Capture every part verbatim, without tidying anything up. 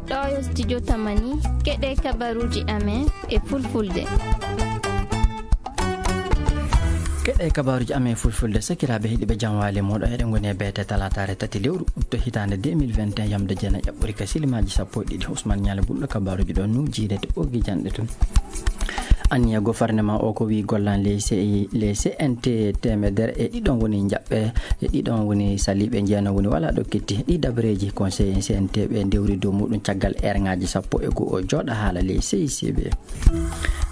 Ɗo yo studio Tamani, keɗe kabaruuji amen e fulfulde. Keɗe kabaruuji amen e fulfulde, sakiraaɓe heɗiiɓe, jam waali mooɗon. Eɗen ngoni e beete talaataare tati lewru août hitaande deux mille vingt et un, yamde jeenayi ƴaɓɓori ka silimaaji sappo e ɗiɗi. Ousmane Nialle Bulɗo kabaruuji ɗon nu jiidete ɓoggi janɗe tun. Anniya gofarneman o ko wi gollan ley C I, ley C N T teemedere e ɗiɗon woni jaɓɓe, e ɗiɗon woni saliiɓe, jeenon woni wala ɗo ketti. Ɗi dabareeji conseil C N T ɓe ndewri dow muɗum caggal eerŋaaji sappo e go'o jooɗa haala ley C I C B.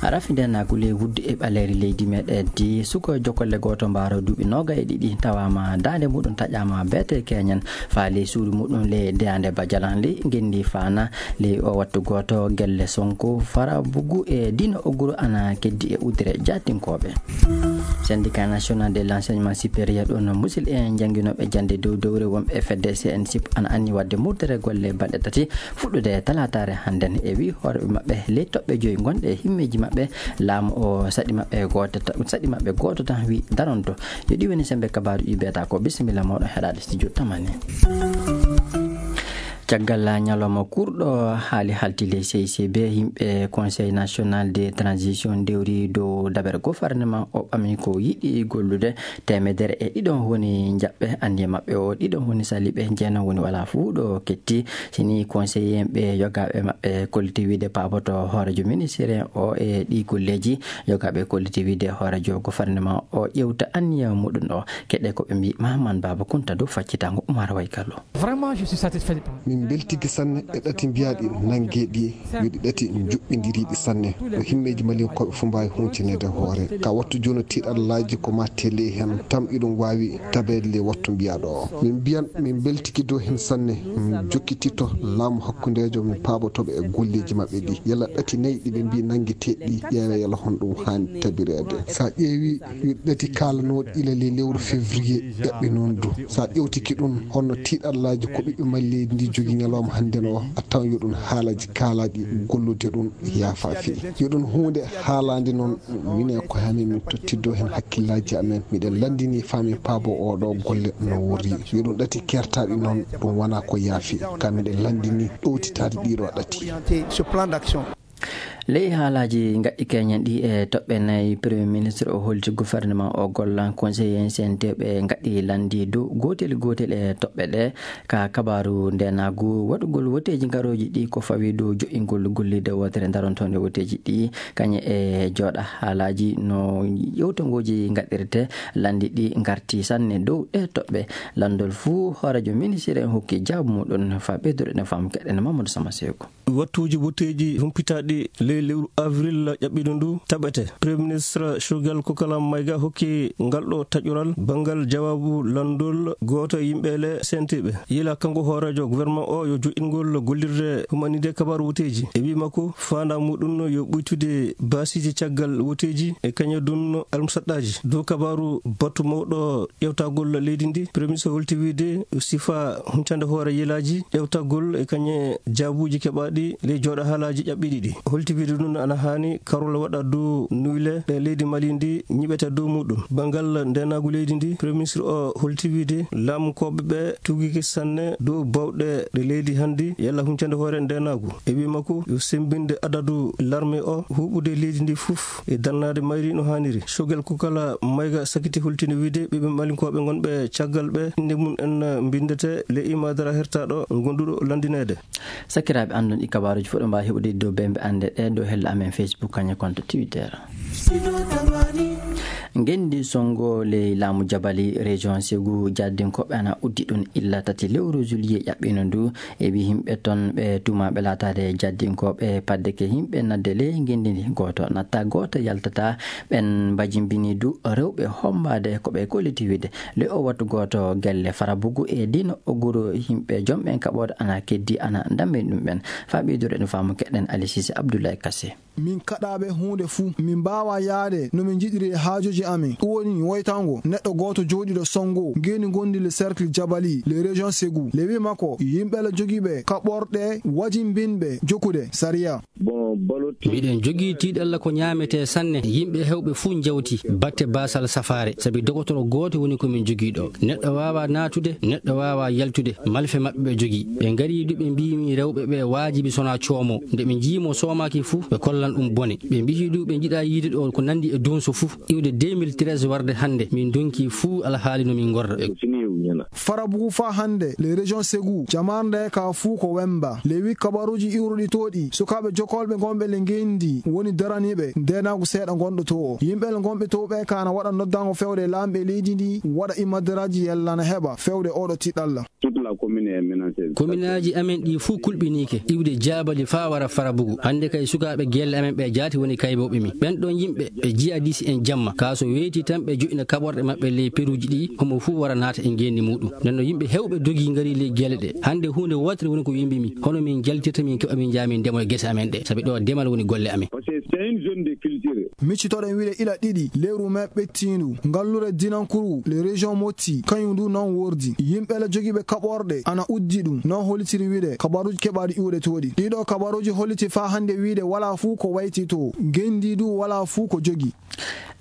Rafi ndeenaagu ley wuddu e ɓaleeri leydi meɗen di, suko jokolle gooto mbaaro duuɓi nooga e ɗiɗi tawaama daande muɗum taƴaama beete keñen faa ley suudu muɗum ley deyaande Bajalan ley ngenndi faana. Ley o wattu gooto, gelle Sonko, Fara Bugu e Dino Oguru ana keddi e udre jaatinkooɓe. Syndicat National de l'Enseignement Supérieur ɗon musil e jannginooɓe jannde dow dowre wonɓe e fedde C N S I P ana anni waɗde murtere golle balɗe tati fuɗɗude talaataare hannden. E wi hoore maɓɓe ley toɓɓe joyi ngonɗe e himmeeji maɓɓe, laamu o saɗi maɓɓe gooto ta-, saɗi maɓɓe gooto tan wi daronto. Yo ɗi woni sembe kabaaruuji beeta ko. Bisimilla mooɗon heɗaade studio Tamani. Caggal ñalawma kurɗo haali halti ley C I C B, yimɓe Conseil National de Transition ndewri dow dabere gofarneman o ɓami ko yiɗi gollude. Teemedere e ɗiɗon woni jaɓɓe anniya maɓɓe o, ɗiɗon woni saliiɓe, jeenon woni wala fuu ɗo ketti. Sini conseiller ɓe yogaaɓe maɓɓe kolliti wiide paaboto hoorejo ministère o e ɗi golleeji. Yogaaɓe kolliti wiide hoorejo gofarneman o ƴewta anniya muɗum o. Keɗe ko ɓe mbi Mahaman Baba Kunta dow faccitango Umar Waykallo. Vraiment, je suis satisfait. Min mbeltike sanne e ɗati mbiyaaɗi nanngeeɗi, yo ɗi ɗati njuɓɓindiriiɗi sanne. Ɗo himmeeji malinkooɓe fof mbaawi huuncineede hoore. Ka wattu jooni tiiɗallaaji ko ma tele heen, tam iɗum waawi tabeede le wattu mbiyaaɗo o. Min mbiyan, min mbeltike dow heen sanne, min jokkititto laamu hakkundeejo, min paabotooɓe e golleeji maɓɓe ɗi. Yalla ɗati nayi ɗi ɓe mbi nanngeteeɗi ɗi, ƴeewe yalla honɗum haani tabireede. So a ƴeewi yo ɗati kaalanooɗi ila ley lewru février ƴaɓɓi noon du. So a ƴewtike ɗum, honno tiiɗallaaji ko ɓiɓɓe Mali leydi ndi jogii ñalawma hannden o, a tawan yo ɗum haalaaji kaalaaɗi gollude ɗum yaafa fii. Yo ɗum huunde haalaande noon, minen ko haani min tottiddo heen hakkillaaji amen. Miɗen lanndini faa min paabo oo ɗoo golle no worri. Yo ɗum ɗati keertaaɗi noon, ɗum wonaa ko yaafi. Ka miɗen lanndini ɗowtitaade ɗii ɗoo ɗati. Ley haalaaji ngaɗɗi keñen ɗi e toɓɓe nayi, Premier Ministre o holti gouvernement o gollan conseiller C N T ɓe ngaɗɗi lanndi dow gootel gootel e toɓɓe ɗe. Ka kabaaru ndeenaagu, waɗugol woteeji ngarooji ɗi ko fawi dow jo'ingol gollirde wootere darontoonde woteeji ɗi, kañe e jooɗa haalaaji no yewtongooji ngaɗirte, lanndi ɗi ngarti sanne dow ɗe toɓɓe. Lanndol fuu hooreejo ministre en hokki jaabu muɗum faa ɓeydude no faamu keɗen Mamadou Sama Seko. Wattuuji woteeji humpitaaɗi ley lewru avril ƴaɓɓiiɗo ndu taɓete. Premier Ministre Choguel Kokala Maïga hokki ngal ɗo taƴoral banngal jawaabu lanndol gooto e yimɓe le C N T ɓe. Yila kanko hooreejo gouvernement o yo jo'ingol gollirde humanide kabaaru woteeji. E wi makko, faandaa muɗum yo ɓuytude baasiiji caggal woteeji e kañe dun almusaɗɗaaji. Dow kabaaru batu mawɗo ƴewtagol leydi ndi, Premier Ministre holti wiide sifa huncande hoore yelaaji ƴewtagol e kañe jaabuuji keɓaaɗi ley jooɗa haalaaji ƴaɓɓiiɗi ɗi. Holti wiide ɗum ana haani karol waɗa dow nuyle ɗe leydi Mali ndi ñiɓete dow muɗum. Banngal ndeenaagu leydi ndi, Premier Ministre o holti wiide laamu kooɓe ɓe tugike sanne dow bawɗe ɗe leydi hanndi yalla huncande hoore ndeenaagu. E wi makko yo semmbinde adadu larme o huuɓude leydi ndi fof e darnaade mayri no haaniri. Choguel Kokala Maïga sakiti holtinde wiide ɓiɓɓe malinkooɓe ngonɓe caggal ɓe innde mum en mbinndete le imadara hertaɗo gonduɗo lanndineede. Sakiraaɓe, anndon ɗi kabaaruuji fof ɗo mbaawi heɓude dow bembe annde ɗe dow hella amen Facebook kañe konto Twitter. Ngenndi sonngo ley laamu Jabali, région Ségou, jaddinkooɓe ana uddi ɗum illa tati lewru juillet ƴaɓɓino ndu. E wi yimɓe ton ɓe tuumaaɓe laataade jaddinkooɓe, paddeke yimɓe nadde ley ngenndi ndi. Gooto natta, gooto yaltata. Ɓen mbajimbini du rewɓe hombaade ko ɓe kolliti wiide. Le o wattu gooto gelle Farabugu e Dino Oguru, yimɓe jom ɓen kaɓooɗe ana keddi ana ndammi ɗum ɓen. Faa ɓeydude no faamu keɗen Ali Sise Abdoulaye Kassé. Min kaɗaaɓe huunde fuu, min mbaawaa yahde no min njiɗiri e haajooji Amin ɗum woni woytango neɗɗo gooto jooɗiiɗo Songo, ngeni ngondi le cercle Jabali, le région Ségou. Le wi makko yimɓe la jogiiɓe kaɓorɗe wajimbinɓe jokkude sariya. Bon, balotti. Miɗen jogii tiiɗalla ko ñaametee sanne. Yimɓe heewɓe fuu njawti batte baasal safaare, sabi dogotoro gooto woni ko min jogii ɗo. Neɗɗo waawaa naatude, neɗɗo waawaa yaltude. Malfe maɓɓe ɓe jogii. Ɓe ngarii du, ɓe mbii min rewɓe ɓe waajibi sonaa coomo. Nde ɓe njii mo soomaaki fuu, ɓe kollan ɗum bone. Ɓe mbii du, ɓe njiɗaa yiide ɗo ko nanndi e dunso fuu. Iwde deux mille treize warde hannde, min ndonki fuu alhaali no min ngorra. Farabugu faa hannde, le région Ségou, jamaarnde ka fuu ko wemba. Le wi kabaruuji iwruɗi tooɗi, sukaaɓe jokolɓe ngonɓe le ngenndi woni daraniiɓe ndeenaagu seeɗa ngonɗo to o. Yimɓe le ngonɓe to ɓe ka na waɗa noddango fewde laamɓe leydi ndi, waɗa imadaraaji yalla na heɓa fewde oɗo tiɗalla. Toute la commune est menacée. Kominaaji amen ɗi fuu kulɓiniike, iwde Jaabali faa wara Farabugu. Hannde kay sukaaɓe gelle amen ɓe jaati woni kaybooɓe mi. Ɓen ɗon yimɓe ɓe jihadis en jamma. Kaa so weeti tan ɓe joɗɗina kaɓorɗe maɓɓe ley peruuji ɗi, homo fuu wara naata e ngeenndi muuɗum. Nden no yimɓe heewɓe dogii ngarii ley gelle ɗe. Hannde huunde wootere woni ko yimbi mi. Hono min jaltirta min keɓa min njaa min ndemo e gese amen ɗe. Sabi ɗo demal woni golle amen. Parce que c'est une zone de culture. Miccitoɗen wiɗe ila ɗiɗi, lewru me ɓettiindu. Ngallure Dinankuru, le région Motti, kañum ndu non wordi. Yimɓe la jogiiɓe kaɓorɗe, ana uddi ɗum. Non hollitiri wiɗe, kabaruuji keɓaaɗi iwde tooɗi. Ɗiɗo kabaruuji holliti faa hannde wiɗe, walaa fuu ko wayti to. Ngenndi du walaa fuu ko jogi.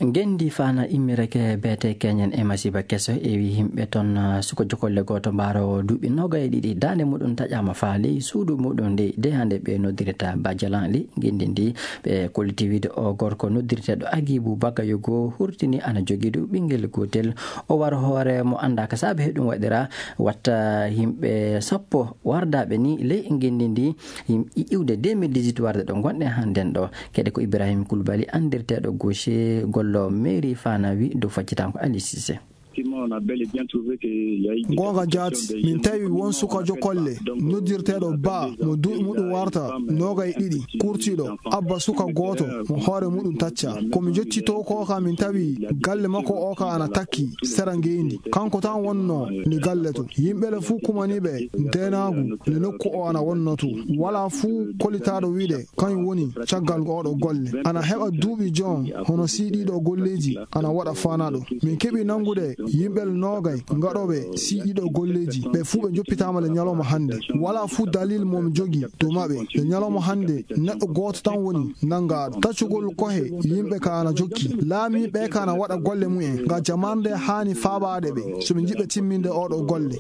Ngenndi faana immireke beete keñen e masiiba keso e wi yimɓe ton, ah, suko jokolle gooto mbaaro duuɓi noogay e ɗiɗi. Daande muɗum taƴaama faa ley suudu muɗum ndey de hannde ɓe noddirta Bajalan li ngenndi ndi. Ɓe kolliti wiide o gorko noddirteeɗo Agibu Bagayogo hurtini ana jogii du ɓinngel gootel. O waro hoore mo anndaa ka saabe he ɗum waɗira watta yimɓe sappo wardaaɓe ni ley ngenndi ndi. Yim-, i-, iwde deux mille dix-huit warde ɗo ngonɗen hannden ɗo. Kede ko Ibrahim Koulibaly anndirteeɗo gaucher gollo mairie faana wi dow faccitanko Ali Cissé. Effectivement, on a bel et bien trouvé que il y a eu des Goonga jaati, min tawi won sukajo kolle noddirteeɗo Ba mo duuɓi muɗum warta noogay ɗiɗi, kurtiiɗo, abba suka gooto mo hoore muɗum tacca. Ko mi jotti to ko ka min tawi galle makko o ka ana takki sera ngeendi. Kanko tan wonno ni galle to. Yimɓe le fuu kumaniiɓe ndeenaagu le nokku o ana wonno to. Walaa fuu kolitaaɗo wiide kañum woni caggal oɗo golle. Ana heɓa duuɓi jon hono siiɗiiɗo golleeji ana waɗa faanaɗo. Min keɓi nanngude yimɓe le noogay ngaɗooɓe siiɗiiɗo golleeji. Ɓe fuu ɓe njoppitaama le ñalawma hannde. Walaa fuu dalil mo mi jogi dow maɓɓe. Le ñalawma hannde neɗɗo gooto tan woni nanngaaɗo. Taccugol kohe yimɓe ka ana jokki. Laamiiɓe ka ana waɗa golle mumen. Nga jamaande haani faabaade ɓe. So ɓe njiɗɓe timminde oɗo golle.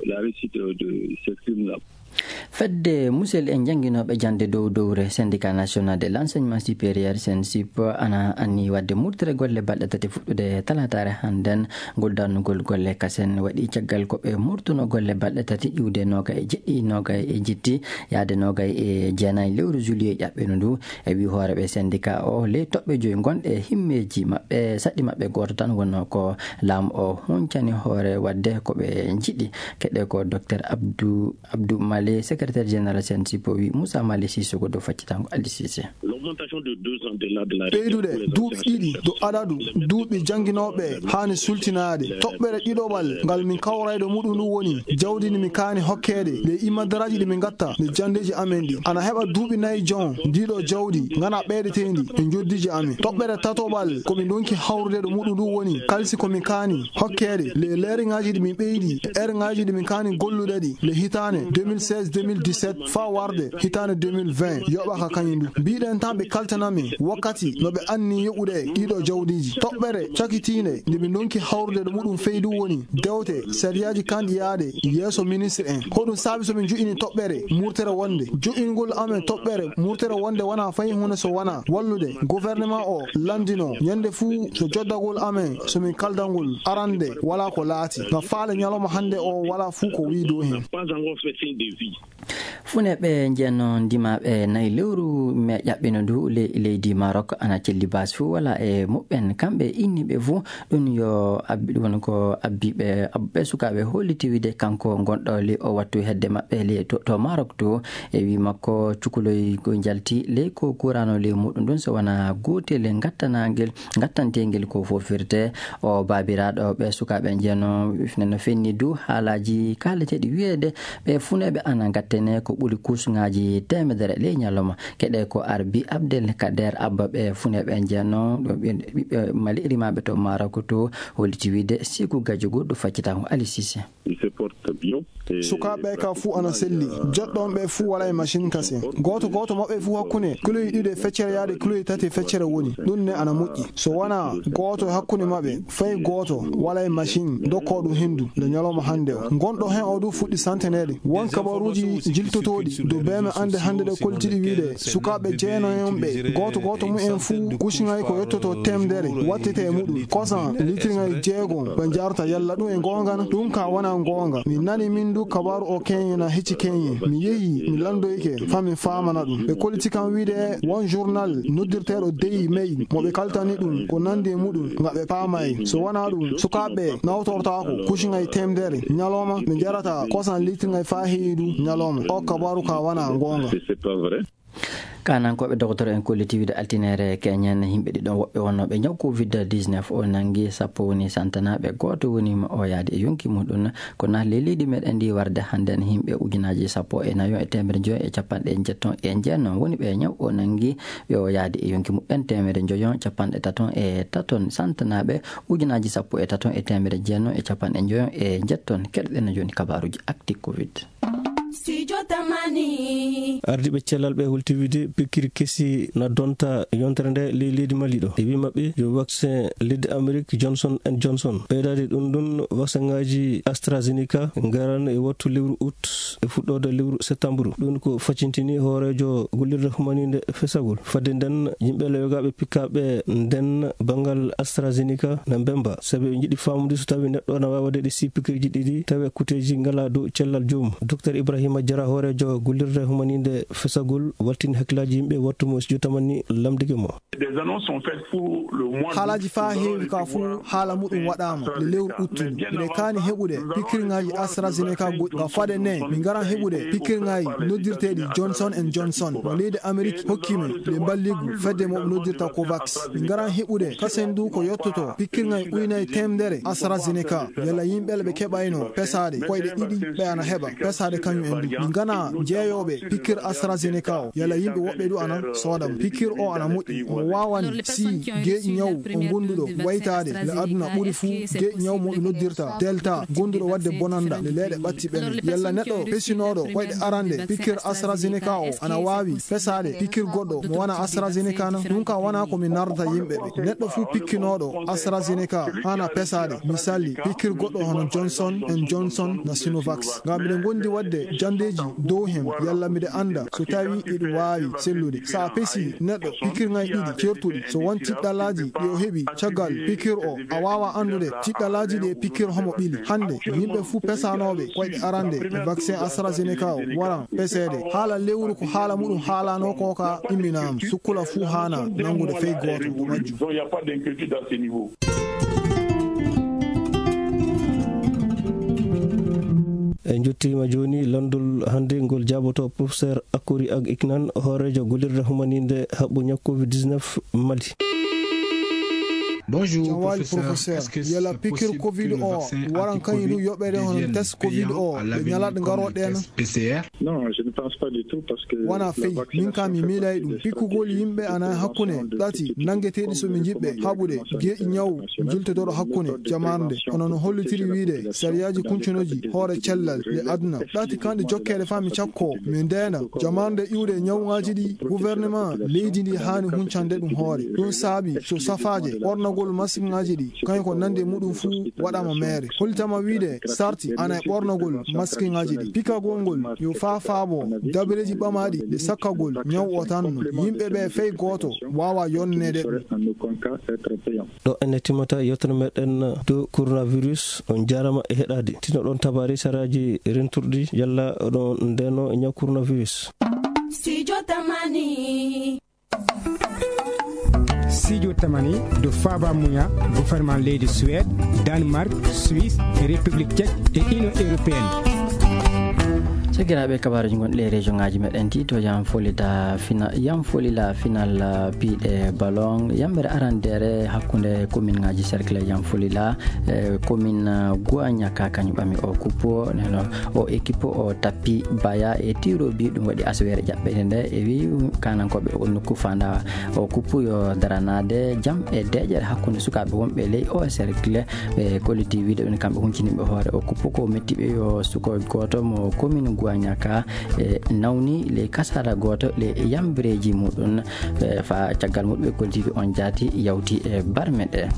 Fedde musel e jannginooɓe jannde dow dowre, Syndicat National de l'Enseignement Supérieur, SNESUP, ana anni waɗde murtere golle balɗe tati fuɗɗude talaataare hannden. Ngol darnugol golle kasen waɗi caggal ko ɓe murtuno golle balɗe tati iwde noogay e jeɗɗi, noogay e jetti, yaade noogay e jeenayi lewru juillet ƴaɓɓino ndu. E wi hooreeɓe syndicat o, ley toɓɓe joyi gonɗe e himmeeji maɓɓe, saɗɗi maɓɓe gooto tan wonno ko laamu o huncani hoore waɗde ko ɓe njiɗi. Keɗe ko Docteur Abdou Abdou Male, secrétaire général SNESUP, o wi Moussa Male Sissoko dow faccitango Ali Cissé. L'augmentation de deux ans de l'âge de la retraite. Ɓeydude pour les duuɓi anciens ɗiɗi chercheurs dow adadu duuɓi jannginooɓe haani sultinaade. Toɓɓere ɗiɗoɓal ngal min kawrayɗo muɗum ɗum woni jawdi ndi min kaani hokkeede nde imadaraaji ɗi min ngatta nde janndeeji amen ɗi. Ana heɓa duuɓi nayi jon ndiɗo jawdi ngana ɓeydeteendi e njoddiiji amen. Toɓɓere tatoɓal ko min ndonki hawrude ɗo muɗum ɗum woni kalsi ko min kaani hokkeede le leeriŋaaji ɗi min ɓeydi, ereŋaaji ɗi min kaani gollude ɗi le hitaande deux mille seize deux mille dix-sept faa warde hitaande deux mille vingt yoɓaka kañum ɗum. Mbiɗen tan ɓe kaltana min wakkati no ɓe anni yoɓude ɗiɗo jawdiiji. Toɓɓere cakitiinde nde min ndonki hawrude ɗo muɗum feydu woni dewte sariyaaji kanɗi yaade yeeso ministre en. Hoɗum saabi so min joƴini toɓɓere murtere wonde? Joƴingol amen toɓɓere murtere wonde wonaa fay huunde so wonaa wallude gouvernement o lanndino ñande fuu so joddagol amen so min kaldangol arande walaa ko laati. Nga faale ñalawma hannde o walaa fuu ko wii dow heen. Pas encore fait signe de vie. Funeeɓe njenno ndimaaɓe nayi lewru me ƴaɓɓino ndu le-, leydi Maroc ana celli baasi fuu wala e muɓɓen. Kamɓe inniiɓe fuu ɗum yo abbi, ɗum woni ko abbiiɓe, abbuɓe sukaaɓe holliti wiide kanko ngonɗo le o wattu hedde maɓɓe le to, to Maroc to. E wi makko cukuloy ko njalti le ko kuraano le muɗum ɗum so wona gootel ngattanaangel, ngattantengel ko fow firte. O baabiraaɗo ɓe sukaaɓe njenno no fenni du haalaaji kaaleteeɗi wiyeede ɓe funeeɓe ana ngattene ko Ɓuri kusuŋaaji teemedere ley ñalawma. Keɗe ko Arbi Abdel Kader Abba ɓe funeeɓe en jeenno, ɗo ɓe, ɓiɓɓe Mali rimaaɓe to Maroc to, holliti wiide Siku Gajo goɗɗo faccita ko Ali Cissé. Sukaaɓe ka fuu ana selli. Joɗɗo on ɓe fuu wala e machine kase. Gooto gooto maɓɓe fuu hakkunde kiloji ɗiɗi e feccere yaade kiloji tati e feccere woni. Ɗum ne ana moƴƴi. So wona gooto e hakkunde maɓɓe, fay gooto wala e machine dokkoo ɗum hendu nde ñalawma hannde o. Gonɗo hen o du fuɗɗi santeneede. Won kabaruuji jiltotooɗi do beeme annde hannde ɗe koltiɗi wiide sukaaɓe jeenayon ɓe, gooto gooto mumen fuu kusiŋay ko yottoto teemedere wattete e muɗum. Kosan litirŋay jeego ɓe jarta yalla ɗum e goonga na? Ɗum ka wona goonga. Mi nani min du kabaru o keñe na hecci keñe. Mi yehi, mi landoyke, fa mi faamana ɗum. Ɓe koliti kam wiide won journal noddirteeɗo Daily Mail mo ɓe kaltani ɗum ko nandi e muɗum, nga ɓe paamay. So wona ɗum, sukaaɓe nawtortaako kusiŋay teemedere ñalawma, ɓe jarata kosan litirŋay faa heewi du ñalawma. O kabaru ka wona goonga. Kaanankooɓe dokotoro en kolliti wiide altineere keñen yimɓe ɗiɗon woɓɓe wonnooɓe ñaw covid dix-neuf o nangi sappo woni santanaaɓe, gooto woni mo o yaadi e yonki muɗum. Kono ley leydi meɗen ndi warde hannde en yimɓe ujunaaji sappo e nayo e teemedere njoyo e capanɗe njetton e jeenon woni ɓe ñaw o nangi, ɓe o yaadi e yonki muɓɓen teemedere njoyo capanɗe taton e taton santanaaɓe, ujunaaji sappo e taton e teemedere jeenon e capanɗe njoyo e njetton. Keɗoɗen no jooni kabaruuji Actu Covid. Studio Tamani. Ardiiɓe cellal ɓe hulti wiide pikkiri kesi na donta yontere nde ley leydi Mali ɗo. E wi maɓɓe yo vaccin leddi Amerik Johnson and Johnson. Ɓeydaade ɗum ɗum, vaccin ŋaaji AstraZeneca ngaran e wattu lewru août e fuɗɗoode lewru septembre. Ɗum ko facintini hooreejo gollirde humaninde fesagol. Fadde nden, yimɓe lewgaaɓe pikkaaɓe nden banngal AstraZeneca na mbemba. Sabi ɓe njiɗi faamude so tawi neɗɗo na waawi waɗde ɗi sii pikiirji ɗiɗi, tawi kuteeji ngalaa dow cellal joomum. Docteur Ibrahima Jara, hooreejo gollirde humaninde fesagol, waltini hakkillaaji yimɓe wattu mo studio tamani lamndike mo. Des annonces sont faites pour le mois d'août. Haalaaji faa heewi ka fuu haala muɗum waɗaama le lewru uttundu. Miɗen kaani heɓude pikiirŋaaji AstraZeneca goɗɗi. Ka fade ne, min ngaran heɓude pikiirŋaaji noddirteeɗi Johnson and Johnson. Mo leydi Amerik hokki min le mballigu fedde mo ɓe noddirta COVAX. Min ngaran heɓude kasen du ko yottoto pikiirŋaaji ujunaaji teemedere AstraZeneca. Yalla yimɓe ɓe keɓayno pesaade koyɗe ɗiɗi ɓe ana heɓa pesaade kañum en du. Min ngana jeeyooɓe pikiir AstraZeneca o. Yalla yimɓe woɓɓe du ana sooda mo. Pikiir o ana moƴƴi. Omo waawani si geeƴi ñaw o gonduɗo waytaade le aduna ɓuri fuu geeƴi ñaw mo ɓe noddirta Delta gonduɗo waɗde bonanda le leeɗe ɓatti ɓene. Yalla neɗɗo pesinooɗo koyɗe arande pikiir AstraZeneca o ana waawi pesaade pikiir goɗɗo mo wona AstraZeneca na? Ɗum ka wona ko mi nardata yimɓe ɓe. Neɗɗo fuu pikkinooɗo AstraZeneca hana pesaade. Misali, pikiir goɗɗo hono Johnson and Johnson na Sinovax. Ngam miɗen gondi waɗde jandeeji dow hen, yalla miɗe anda so tawi iɗum waawi sellude. Sa a pesi neɗɗo pikiirŋaaji ɗiɗi certuɗi, so won tiɗɗalaaji ɗi o heɓi caggal pikiir o, a waawa andude tiɗɗalaaji ɗi e pikiir homo ɓili. Hande, yimɓe fuu pesanooɓe koyɗe arande e vaccin AstraZeneca o waran peseede. Haala lewru ko haala muɗum haalano ko ka imminama. Sukkula fuu haana nangude fey gooto ko majjum. En jottiima jooni lanndol hannde ngol jaaboto professeur Akori Ag Iknan, hooreejo gollirde humaninde haɓɓu ñaw covid dix-neuf Mali. Bonjour, professeur. Est-ce que yala ce pikir possible covid que le o vaccin waran anti-covid kañum yoɓeede hono devienne test covid payant o à ɓe l'avenir ñalaɗe comme le ngaroɗen? Test P C R? Non, je ne pense pas du tout parce que wona la fey, min vaccination ka mi fait miilay partie ɗum des pikkugol stratégies yimɓe de ana prévention hakkunde de ɗati tout type nangeteeɗi comme so mi le jiɓɓe recommande haɓude l'Organisation geeƴi internationale ñaw de la jultotoro prévention hakkunde et de jamaande prévention hono no de la hollitiri propagation wiide de la sariyaaji kuncunooji hoore cellal le aduna. Ɗati kanɗe jokkeede faa mi cakko mi ndeena jamaande iwde e ñawŋaaji ɗi gouvernement leydi ndi haani huncande ɗum hoore. Ɗum saabi so safaaje ɓornagol maskiŋaaji ɗi kañum ko nandi e muɗum fuu waɗaama meere. Hollitama wiide sarti ana e ɓornagol maskiŋaaji ɗi. Pikagol ngol yo faa faabo dabareeji ɓamaaɗi ɗi sakkagol ñaw o tan no yimɓe ɓe fey gooto waawa yonneede ɗum. Ɗo ene timmata yewtere meɗen dow coronavirus. On jaarama e heɗaade. Tino ɗon tabaari saraaji renturɗi yalla oɗon ndeno ñaw coronavirus. Studio Tamani. Studio Tamani do faaba muya gouvernement leydi Suède, Danemark, Suisse, e République Tchèque e Union Européenne. Sakiraaɓe, kabaaruuji gonɗi e région ŋaaji meɗen ɗi, to Yam Folila fina-, Yam Folila final, ah, piiɗe ballon, yamɓere arandeere hakkunde commune ŋaaji cercle Yam Folila, e commune, ah, Guanyaka, kañum ɓami o kuppo, neno o équipe o tappi baya e tiro bi, ɗum waɗi asaweere ƴaɓɓende nde, e wi kanankooɓe o nokku fanda o kuppo yo daranaade jam e deeƴere hakkunde sukaaɓe wonɓe ley o cercle. Ɓe kolliti wiide ɓen kamɓe hunciniɓe hoore o kuppo ko metti ɓe yo suko gooto mo commune Guanyaka e nawni ley kasara gooto ley yambireeji muɗum. E fa caggal muɗum ɓe kolliti on jaati yawti e barme ɗe.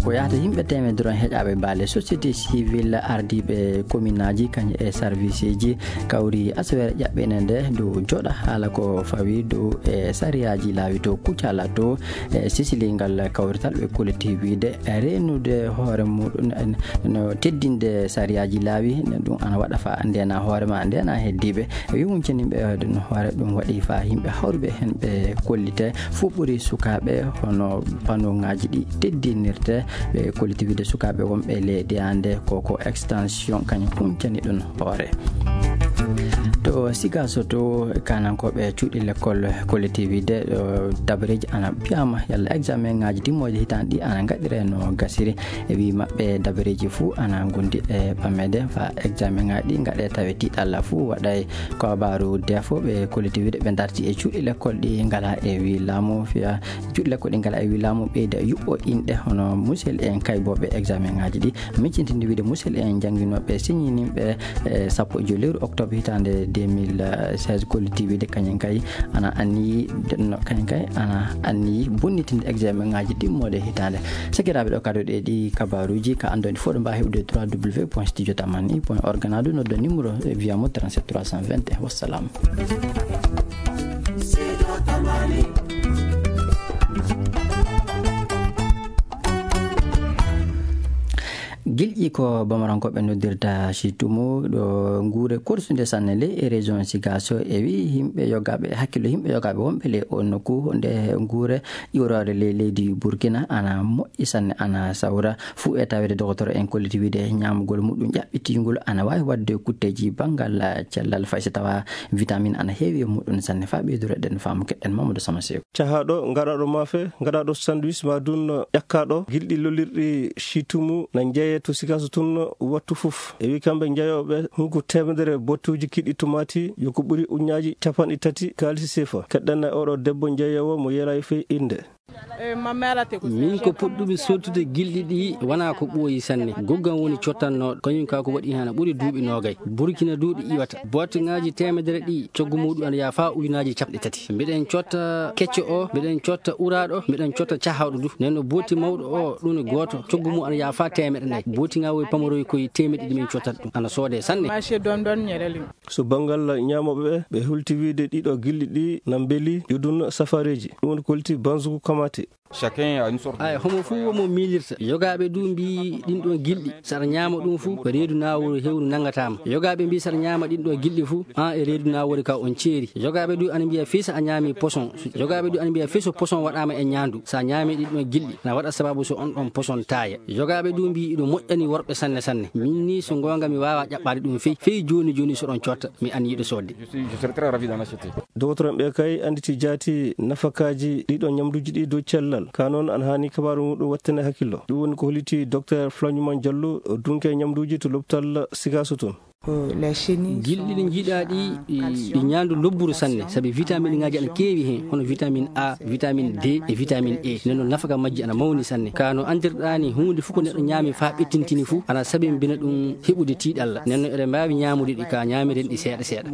Ko yahata yimɓe teemedere on heƴaaɓe baale société civile, ardiiɓe commune aji kañum e service ji kawri asaweere ƴaɓɓene nde dow joɗa haala ko fawi dow e sariyaaji laawi to Kucala to e sisilingal kawrital ɓe kolliti wiide reenude hoore muɗum en no teddinde sariyaaji laawi, ɗum ana waɗa fa ndena hoore ma, ndena heddiiɓe. Wi huncaniɓe ɗum hoore ɗum waɗi fa yimɓe hawruɓe hen ɓe kollite fof ɓuri sukaaɓe hono panoŋaaji ɗi teddinirte. Ɓe kolliti wiide sukaaɓe wonɓe ley deyaande ko, ko extension kañum huncani ɗum hoore. To Sigaso to kanankooɓe cuuɗi lekkol kolliti wiide ɗo dabareeji ana piyama yalla examen ŋaaji timmooji hitaande ɗi ana ngaɗire no gasiri. E wi maɓɓe dabareeji fuu ana gondi e ɓamede fa examen ŋaaji ɗi ngaɗe tawe tiiɗalla fuu waɗay. Ko kabaaru defo ɓe kolliti wiide ɓe darti e cuuɗi lekkol ɗi ngala e wi laamu fiya cuuɗi lekkol ɗi ngala e wi laamu ɓeyda yuɓɓo inɗe hono musel en kayboɓe examen ŋaaji ɗi. Miccintinde wiide musel en jannginooɓe siñininɓe e sappo e joy lewru octobre hitaande deux mille seize kolliti wiide kañum kay ana anniyi denno kañum kay ana anniyi bonnitinde examen ŋaaji ɗimmoɗe hitaande. Sakiraaɓe, ɗo kado ɗe ɗi kabaaruuji ka anndoni fof ɗo mbaawi heɓde trois w point studio tamani point org na ɗum noddo numéro via mo trente-sept trois cent vingt et un. Wassalam. Gilƴi ko Bamarankoɓe noddirta Situmu ɗo nguure korsunde sanne ley e région Sigaso e wi yimɓe yogaaɓe, hakkillo yimɓe yogaaɓe wonɓe ley o nokku nde nguure iwroore ley leydi Burkina ana moƴƴi sanne, ana sawra fuu e tawede dogotoro en kolliti wiide ñaamugol muɗum ƴaɓɓitingol ana waawi waɗde kutteeji banngal cellal fay so tawa vitamine ana heewi e muɗum sanne. Fa ɓeydureɗen faamu keɗen Mamadou Sama Seeku. Cahaaɗo, ngaɗaaɗo maafe, ngaɗaaɗo sandwich, ma dun ƴakkaaɗo, gilɗi lollirɗi Situmu na njeeye to Sigaso tun wattu fof. E wi kamɓe njeeyooɓe hunko teemedere bottuuji kiɗɗi tumaati, yo ko ɓuri uññaaji capanɗe tati kaalisi seefa. Keɗɗen e oɗo debbo njeeyoowo mo yeelaayi fey innde. Min ko puɗɗumi sottude gilɗi ɗi wonaa ko ɓooyi sanne. Goggam woni cottannooɗo, kañum ka ko waɗi hana ɓuri duuɓi noogay. Burkina du ɗi iwata. Botte ŋaaji teemedere ɗi, coggu muɗum ana yaha faa ujunaaji capanɗe tati. Mbiɗen cotta kecco o, mbiɗen cotta uraaɗo, mbiɗen cotta cahawɗo du. Nden no botti mawɗo o, ɗum ne gooto, coggu mum ana yaha faa teemeɗe nayi. Botti ŋaa woy pamaroy koye teemeɗe ɗiɗi min cottata ɗum. Ana soodee sanne. Marché Dondon Ñereli. So banngal ñaamooɓe ɓe, ɓe hulti wiide ɗiɗo gilɗi ɗi na mbeli, yudun safareeji. Ɗum woni ko hulti Banzuku Kamate. Chacun a une sorte. Ay, homo fuu womo miilirta. Yogaaɓe du mbii ɗin ɗon gilɗi, so aɗa ñaama ɗum fuu, ko reedu naawuru hewru nangataa ma. Yogaaɓe mbii so aɗa ñaama ɗin ɗon gilɗi fuu, an e reedu naawuru ka on ceeri. Yogaaɓe du ana mbiya fii so a ñaami poson. Yogaaɓe du ana mbiya fii so poson waɗaama e ñaandu. So a ñaami ɗin ɗon gilɗi, na waɗa sababu so on ɗon poson taaya. Yogaaɓe du mbii iɗo moƴƴani worɓe sanne sanne. Min ni so goonga mi waawa ƴaɓɓaade ɗum fii, fii jooni jooni so ɗon cotta, mi anniyiiɗo soodde. Je suis, je serais très ravi d'en acheter. Dogotoroɓe kay annditi jaati nafakaaji ɗiɗo ñamduuji ɗi dow cellal. Ka noon ana haani kabaaru muɗum wattane hakkillo. Ɗum woni ko holliti Docteur Flañuman Jallo, dunke ñamduuji to lopital Sigaso toon. Gilɗi ɗi njiɗaa ɗi, ɗi ñaandu lobburu sanne, sabi vitamine ŋaaji ana keewi heen, hono vitamine A, vitamine D e vitamine E. Nden noon nafaka majji ana mawni sanne. Ka no anndirɗaa ni, huunde fof ko neɗɗo ñaami faa ɓettintini fof, ana sabimbina ɗum heɓude tiiɗalla. Nden noon eɗen mbaawi ñaamude ɗi ka ñaamiren ɗi seeɗa seeɗa.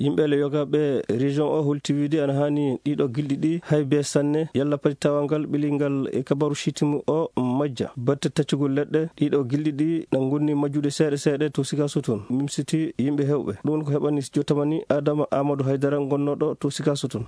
Yimɓe le yogaaɓe région o holti wiide ana haani ɗiɗo gilɗi ɗi hay bee sanne, yalla pati tawangal ɓilingal e kabaru Sitimu o majja. Batte taccugol leɗɗe, ɗiɗo gilɗi ɗi na ngonni majjude seeɗa seeɗa to Sigaso toon. Mimsiti yimɓe heewɓe. Ɗum ko heɓani jotamani Adama Amadou Haydara ngonnooɗo to Sigaso toon.